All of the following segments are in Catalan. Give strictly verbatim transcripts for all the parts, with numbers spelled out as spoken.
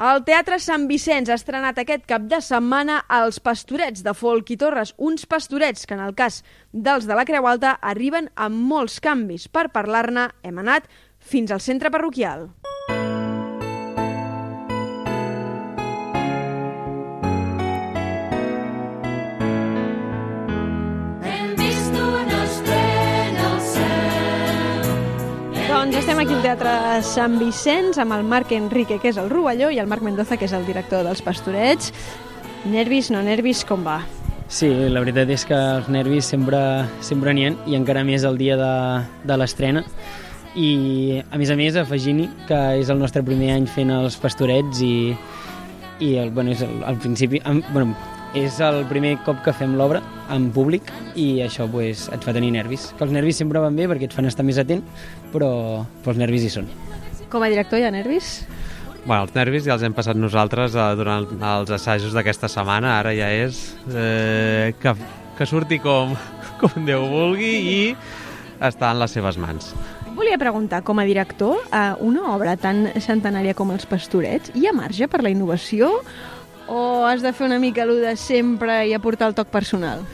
El Teatre Sant Vicenç ha estrenat aquest cap de setmana Els Pastorets de Folc i Torres, uns pastorets que en el cas dels de la Creu Alta arriben amb molts canvis. Per parlar-ne hem anat fins al centre parroquial. Doncs estem aquí al Teatre Sant Vicenç amb el Marc Enrique, que és el Rovelló, i el Marc Mendoza, que és el director dels Pastorets. Nervis, no nervis, com va? Sí, la veritat és que els nervis sempre sempre n'hi ha, i encara més el dia de, de l'estrena. I, a més a més, afegint-hi que és el nostre primer any fent els Pastorets i, i el, bueno, és el, al principi... Bueno, és el primer cop que fem l'obra en públic i això pues, et fa tenir nervis. Que els nervis sempre van bé perquè et fan estar més atent, però, però els nervis hi són. Com a director hi ha nervis? Bueno, els nervis ja els hem passat nosaltres eh, durant els assajos d'aquesta setmana. Ara ja és eh, que, que surti com, com Déu vulgui i està en les seves mans. Volia preguntar, com a director, a una obra tan centenària com Els Pastorets, hi ha marge per la innovació o has de fer una mica l'u de sempre i aportar el toc personal?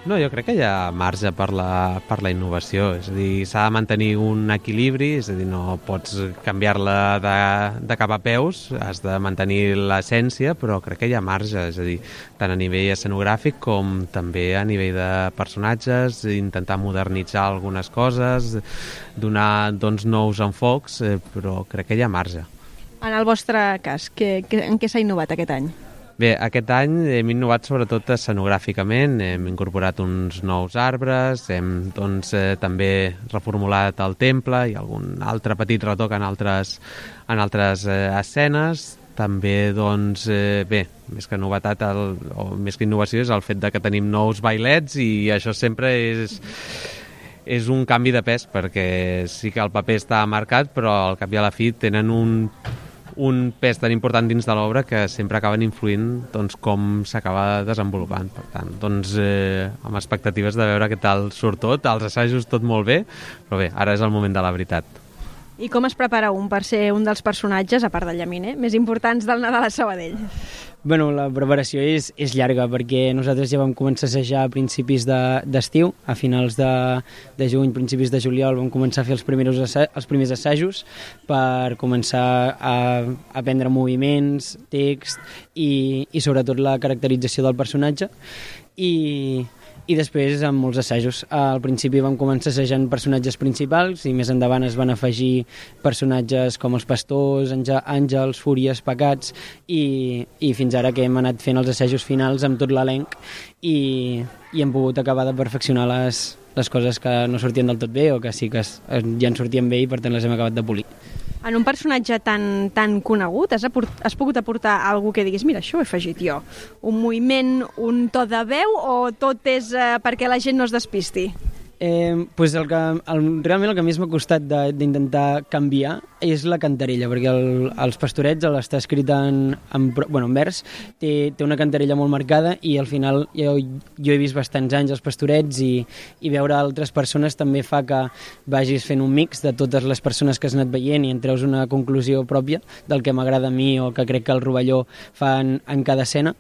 No, jo crec que hi ha marge per la, per la innovació, és a dir, s'ha de mantenir un equilibri, és a dir, no pots canviar-la de, de cap a peus, has de mantenir l'essència, però crec que hi ha marge, és a dir, tant a nivell escenogràfic com també a nivell de personatges, intentar modernitzar algunes coses, donar doncs, nous enfocs, eh, però crec que hi ha marge. En el vostre cas, que, que, en què s'ha innovat aquest any? Bé, aquest any hem innovat sobretot escenogràficament, hem incorporat uns nous arbres, hem doncs, eh, també reformulat el temple i algun altre petit retoc en altres, en altres eh, escenes. També, doncs, eh, bé, més que novetat, el, o més que innovació és el fet de que tenim nous bailets i això sempre és... és un canvi de pes, perquè sí que el paper està marcat, però al cap i a la fi tenen un... un pes tan important dins de l'obra que sempre acaben influint doncs, com s'acaba desenvolupant. Per tant, doncs, eh, amb expectatives de veure què tal surt tot, als assajos tot molt bé, però bé, ara és el moment de la veritat. I com es prepara un per ser un dels personatges, a part del llaminer, més importants del Nadal a Sabadell? Bueno, la preparació és, és llarga perquè nosaltres ja vam començar a assajar a principis d'estiu, de, a finals de, de juny, principis de juliol vam començar a fer els primers, els primers assajos per començar a aprendre moviments, text i, i sobretot la caracterització del personatge i... i després amb molts assajos. Al principi vam començar assajant personatges principals i més endavant es van afegir personatges com els pastors, àngels, fúries, pecats i, i fins ara que hem anat fent els assajos finals amb tot l'elenc i, i hem pogut acabar de perfeccionar les, les coses que no sortien del tot bé o que sí que es, ja en sortien bé i per tant les hem acabat de polir. En un personatge tan, tan conegut, has, aport, has pogut aportar alguna que diguis, mira, això ho he afegit jo. Un moviment, un to de veu o tot és eh, perquè la gent no es despisti? Eh, pues el que, el, realment el que més m'ha costat d'intentar canviar és la cantarella, perquè el, els Pastorets està escrit en, en, bueno, en vers, té, té una cantarella molt marcada i al final jo, jo he vist bastants anys els Pastorets i, i veure altres persones també fa que vagis fent un mix de totes les persones que has anat veient i en treus una conclusió pròpia del que m'agrada a mi o que crec que el Rovelló fa en, en cada escena.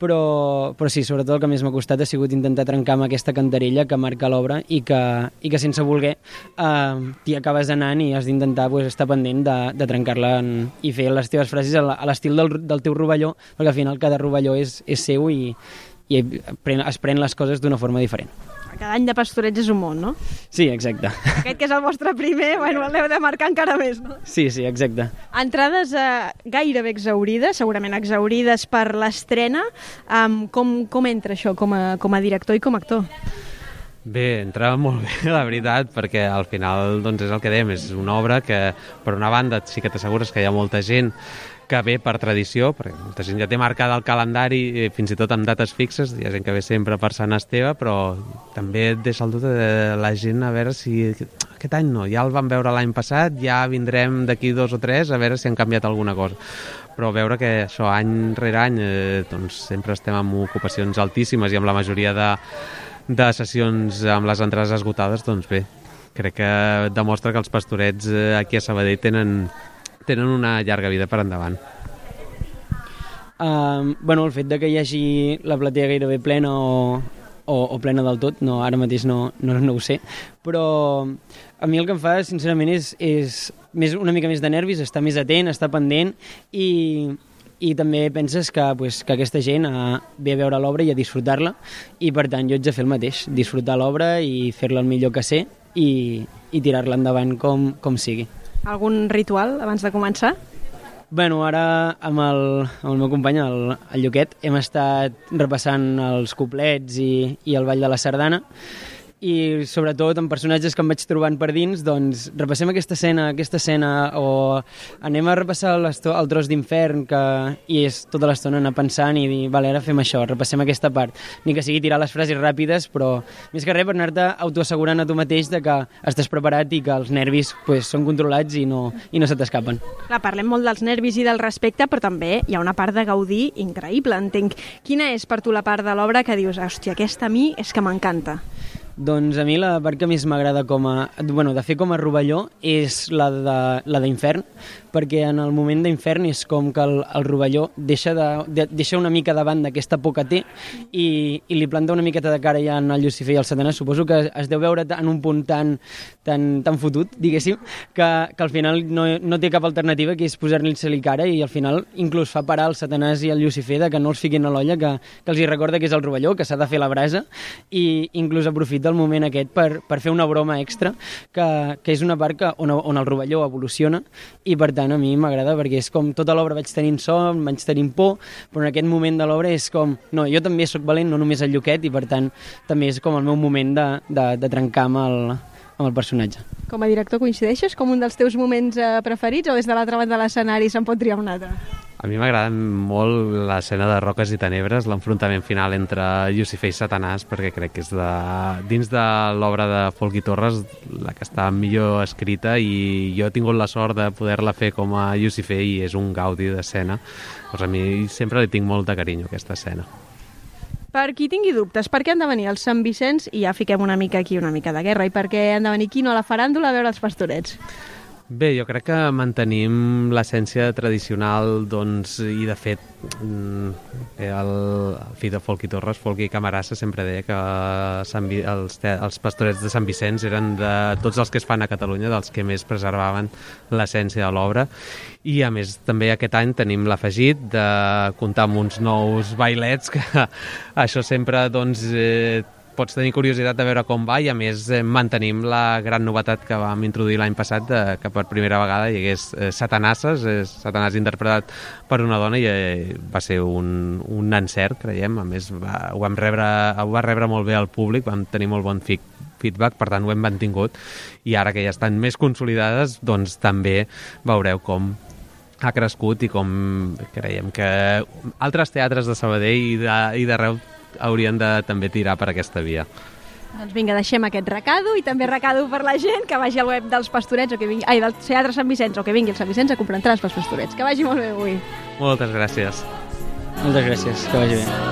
Però, però sí, sobretot el que més m'ha costat ha sigut intentar trencar amb aquesta cantarella que marca l'obra i, que, i que sense voler eh, t'hi acabes anant i has d'intentar pues, estar pendent de, de trencar-la en, i fer les teves frases a l'estil del, del teu Rovelló, perquè al final cada Rovelló és, és seu i, i pren, es pren les coses d'una forma diferent. Cada any de Pastorets és un món, no? Sí, exacte. Aquest que és el vostre primer, bueno, l'heu de marcar encara més, no? Sí, sí, exacte. Entrades eh, gairebé exaurides, segurament exaurides per l'estrena. Um, com, com entra això com a, com a director i com a actor? Bé, entra molt bé, la veritat, perquè al final doncs, és el que dèiem, és una obra que, per una banda, sí que t'assegures que hi ha molta gent que ve per tradició, perquè molta gent ja té marcada el calendari, fins i tot amb dates fixes, hi ha gent que ve sempre per Sant Esteve, però també et deixa el dubte de la gent a veure si aquest any no, ja el vam veure l'any passat, ja vindrem d'aquí dos o tres a veure si han canviat alguna cosa. Però veure que això any rere any eh, doncs sempre estem amb ocupacions altíssimes i amb la majoria de, de sessions amb les entrades esgotades, doncs bé, crec que demostra que els Pastorets eh, aquí a Sabadell tenen tenen una llarga vida per endavant. Uh, bueno, el fet de que hi hagi la platea gairebé plena o, o, o plena del tot, no, ara mateix no, no, no ho sé, però a mi el que em fa, sincerament, és, és més, una mica més de nervis, estar més atent, estar pendent i, i també penses que, pues, que aquesta gent uh, ve a veure l'obra i a disfrutar-la, i per tant jo haig de fer el mateix, disfrutar l'obra i fer-la el millor que sé i, i tirar-la endavant com, com sigui. Algun ritual abans de començar? Bueno, ara amb el, amb el meu company, el, el Lluquet, hem estat repassant els couplets i, i el ball de la sardana, i sobretot en personatges que em vaig trobant per dins, doncs repassem aquesta escena, aquesta escena, o anem a repassar el tros d'infern, que i és tota l'estona anar pensant i dir, vale, ara fem això, repassem aquesta part. Ni que sigui tirar les frases ràpides, però més que res per anar-te autoassegurant a tu mateix de que estàs preparat i que els nervis pues, són controlats i no, i no se t'escapen. Clar, parlem molt dels nervis i del respecte, però també hi ha una part de gaudir increïble, entenc. Quina és per tu la part de l'obra que dius, hòstia, aquesta a mi és que m'encanta? Doncs a mi la part que més m'agrada com a, bueno, de fer com a rovelló és la de la d'infern, perquè en el moment d'infern és com que el, el rovelló deixa, de, de, deixa una mica davant d'aquesta por que té i, i li planta una miqueta de cara ja en el Llucifer i el Satanàs. Suposo que es deu veure en un punt tan, tan, tan fotut, diguéssim, que, que al final no, no té cap alternativa, que és posar-li-se-li cara, i al final inclús fa parar el Satanàs i el Llucifer de que no els fiquin a l'olla, que, que els hi recorda que és el rovelló, que s'ha de fer la brasa, i inclús aprofita el moment aquest per, per fer una broma extra, que, que és una part que, on, on el rovelló evoluciona, i per tant a mi m'agrada perquè és com tota l'obra vaig tenint son, vaig tenint por, però en aquest moment de l'obra és com, no, jo també sóc valent, no només el Lluquet, i per tant també és com el meu moment de, de, de trencar amb el, amb el personatge. Com a director coincideixes com un dels teus moments eh, preferits, o des de l'altra banda de l'escenari se'n pot triar un altre? A mi m'agrada molt l'escena de Roques i Tenebres, l'enfrontament final entre Llucifer i Satanàs, perquè crec que és de, dins de l'obra de Folchi Torres la que està millor escrita, i jo he tingut la sort de poder-la fer com a Llucifer i és un gaudi d'escena. Doncs a mi sempre li tinc molt de carinyo aquesta escena. Per qui tingui dubtes, per què han de venir els Sant Vicenç, i ja fiquem una mica aquí, una mica de guerra, i per què han de venir aquí no a la faràndula a veure els Pastorets? Bé, jo crec que mantenim l'essència tradicional, doncs, i de fet el, el fill de Folchi Torres, Folchi Camarasa, sempre deia que Sant Vi, els, els Pastorets de Sant Vicenç eren de tots els que es fan a Catalunya dels que més preservaven l'essència de l'obra, i a més també aquest any tenim l'afegit de comptar amb uns nous bailets, que això sempre doncs eh, pots tenir curiositat de veure com va, i a més eh, mantenim la gran novetat que vam introduir l'any passat, de, que per primera vegada hi hagués eh, Satanasses, eh, Satanàs interpretat per una dona, i eh, va ser un, un encert, creiem. A més va, ho, vam rebre, ho va rebre molt bé al públic, vam tenir molt bon feedback, per tant ho hem mantingut, i ara que ja estan més consolidades, doncs també veureu com ha crescut i com creiem que altres teatres de Sabadell i d'arreu haurien de també tirar per aquesta via. Doncs vinga, deixem aquest recado, i també recado per la gent que vagi al web dels Pastorets, o que vingui, ai, del Teatre Sant Vicenç, o que vingui al Sant Vicenç a comprar entrades pels Pastorets. Que vagi molt bé avui. Moltes gràcies. Moltes gràcies, que vagi bé.